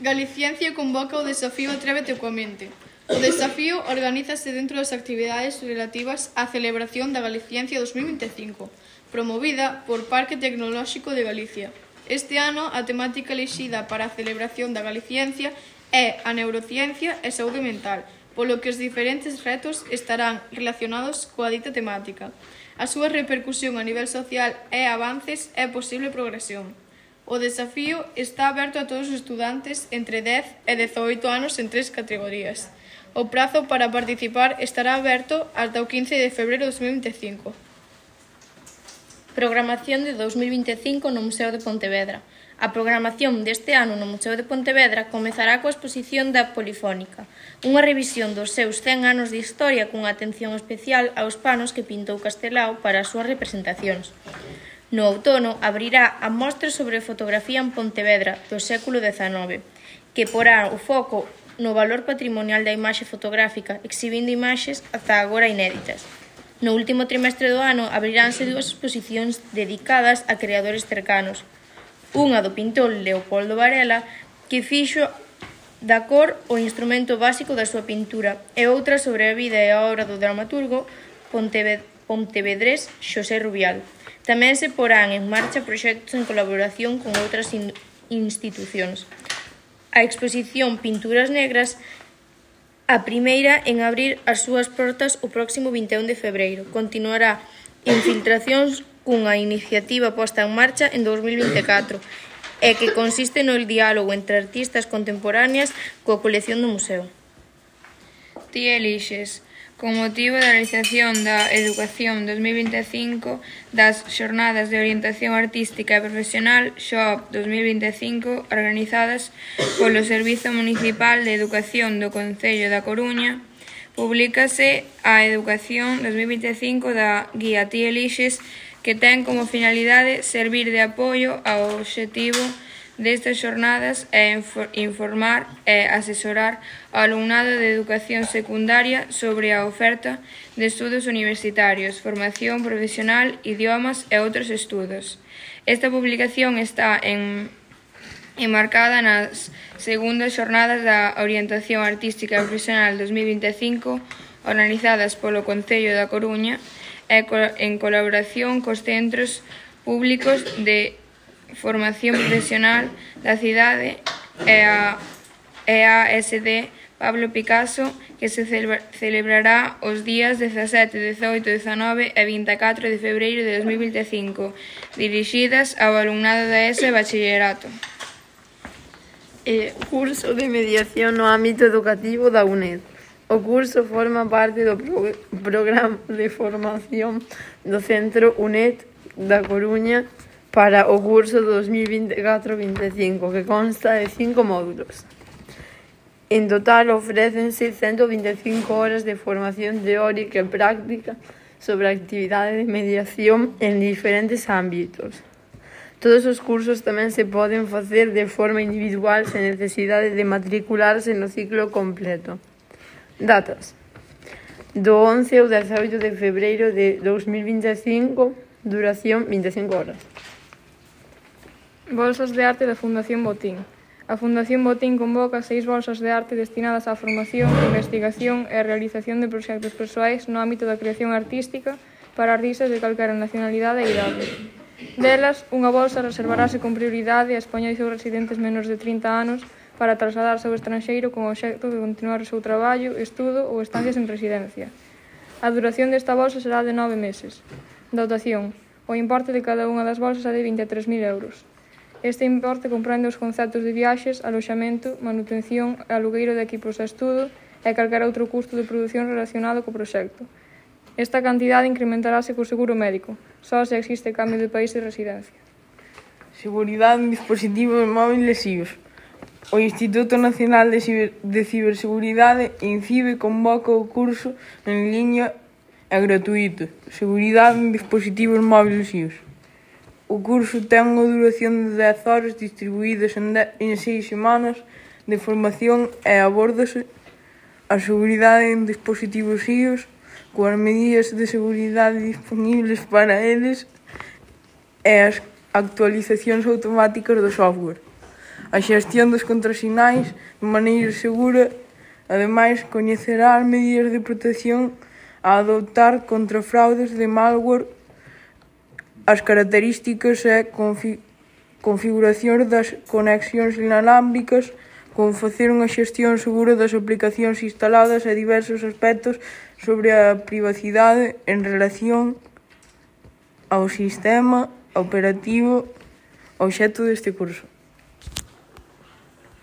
Galiciencia convoca o desafío Atrévete coa mente. O desafío organízase dentro das actividades relativas á celebración da Galiciencia 2025, promovida por Parque Tecnolóxico de Galicia. Este ano, a temática elixida para a celebración da Galiciencia é a neurociencia e saúde mental, polo que os diferentes retos estarán relacionados coa dita temática. A súa repercusión a nivel social e avances é posible progresión. O desafío está aberto a todos os estudantes entre 10 e 18 anos en 3 categorías. O prazo para participar estará aberto ata o 15 de febreiro de 2025. Programación de 2025 no Museo de Pontevedra. A programación deste ano no Museo de Pontevedra comezará coa exposición da Polifónica, unha revisión dos seus 100 anos de historia cunha atención especial aos panos que pintou Castelao para as súas representacións. No outono abrirá a mostra sobre fotografía en Pontevedra do século XIX, que porá o foco no valor patrimonial da imaxe fotográfica, exhibindo imaxes ata agora inéditas. No último trimestre do ano abriránse 2 exposicións dedicadas a creadores cercanos. Unha do pintor Leopoldo Varela, que fixo da cor o instrumento básico da súa pintura, e outra sobre a vida e a obra do dramaturgo pontevedrés Xosé Rubial. Tamén se porán en marcha proxectos en colaboración con outras institucións. A exposición Pinturas Negras, a primeira en abrir as súas portas o próximo 21 de febreiro. Continuará Infiltracións cunha iniciativa posta en marcha en 2024 e que consiste no diálogo entre artistas contemporáneas coa colección do museo. Ti elixes. Con motivo da realización da Educación 2025 das Xornadas de Orientación Artística e Profesional XOP 2025 organizadas polo Servizo Municipal de Educación do Concello da Coruña, publícase a Educación 2025 da Guía Ti Elixes, que ten como finalidade servir de apoio ao obxectivo destas xornadas e informar e asesorar ao alumnado de educación secundaria sobre a oferta de estudos universitarios, formación profesional, idiomas e outros estudos. Esta publicación está enmarcada nas segundas xornadas da Orientación Artística e Profesional 2025 organizadas polo Concello da Coruña e en colaboración cos centros públicos de formación profesional da cidade e a EASD Pablo Picasso, que se celebrará os días 17, 18, 19 e 24 de febreiro de 2025, dirixidas ao alumnado da ESO e Bachillerato. Curso de mediación no ámbito educativo da UNED. O curso forma parte do programa de formación do Centro UNED da Coruña para o curso 2024-25, que consta de 5 módulos. En total, ofrécense 125 horas de formación teórica e práctica sobre a actividade de mediación en diferentes ámbitos. Todos os cursos tamén se poden facer de forma individual sen necesidade de matricularse no ciclo completo. Datas: do 11 ao 18 de febreiro de 2025, duración 25 horas. Bolsas de arte da Fundación Botín. A Fundación Botín convoca 6 bolsas de arte destinadas á formación, investigación e realización de proxectos persoais no ámbito da creación artística para artistas de calquera nacionalidade e idade. Delas, unha bolsa reservarase con prioridade a españois ou residentes menos de 30 anos para trasladarse ao estranxeiro con o obxecto de continuar o seu traballo, estudo ou estancias en residencia. A duración desta bolsa será de 9 meses. Dotación. O importe de cada unha das bolsas é de 23.000 euros. Este importe comprende os conceptos de viaxes, aloxamento, manutención e alugueiro de equipos de estudo e calquera outro custo de produción relacionado co proxecto. Esta cantidade incrementarase co seguro médico, só se existe cambio de país de residencia. Seguridade en dispositivos móviles SIOS. O Instituto Nacional de Ciberseguridade, INCIBE, convoca o curso en liña e gratuito Seguridade en dispositivos móviles SIOS. O curso ten unha duración de 10 horas distribuídas en 6 semanas de formación e abórdase a seguridade en dispositivos SIOS coas medidas de seguridade disponibles para eles e as actualizacións automáticas do software. a xestión dos contrasinais de maneira segura. Ademais, coñecerá as medidas de protección a adoptar contra fraudes de malware, as características e configuracións das conexións inalámbricas, como facer unha xestión segura das aplicacións instaladas e diversos aspectos sobre a privacidade en relación ao sistema operativo obxecto deste curso.